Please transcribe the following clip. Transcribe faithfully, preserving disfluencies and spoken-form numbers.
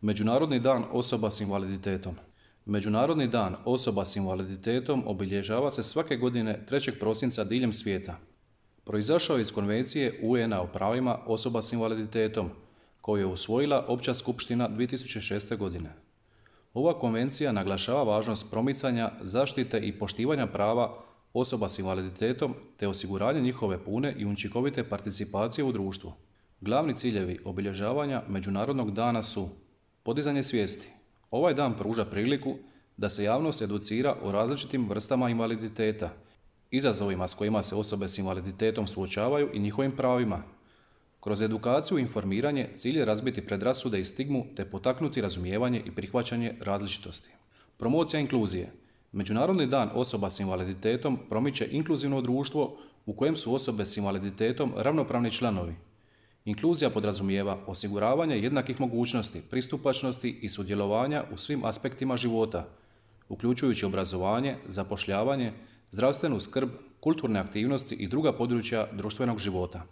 Međunarodni dan osoba s invaliditetom. Međunarodni dan osoba s invaliditetom obilježava se svake godine trećeg prosinca diljem svijeta. Proizašao je iz Konvencije U N A o pravima osoba s invaliditetom, koju je usvojila Opća skupština dvije tisuće šeste. godine. Ova konvencija naglašava važnost promicanja, zaštite i poštivanja prava osoba s invaliditetom te osiguranje njihove pune i učinkovite participacije u društvu. Glavni ciljevi obilježavanja Međunarodnog dana su podizanje svijesti. Ovaj dan pruža priliku da se javnost educira o različitim vrstama invaliditeta, izazovima s kojima se osobe s invaliditetom suočavaju i njihovim pravima. Kroz edukaciju i informiranje cilj je razbiti predrasude i stigmu te potaknuti razumijevanje i prihvaćanje različitosti. Promocija inkluzije. Međunarodni dan osoba s invaliditetom promiče inkluzivno društvo u kojem su osobe s invaliditetom ravnopravni članovi. Inkluzija podrazumijeva osiguravanje jednakih mogućnosti, pristupačnosti i sudjelovanja u svim aspektima života, uključujući obrazovanje, zapošljavanje, zdravstvenu skrb, kulturne aktivnosti i druga područja društvenog života.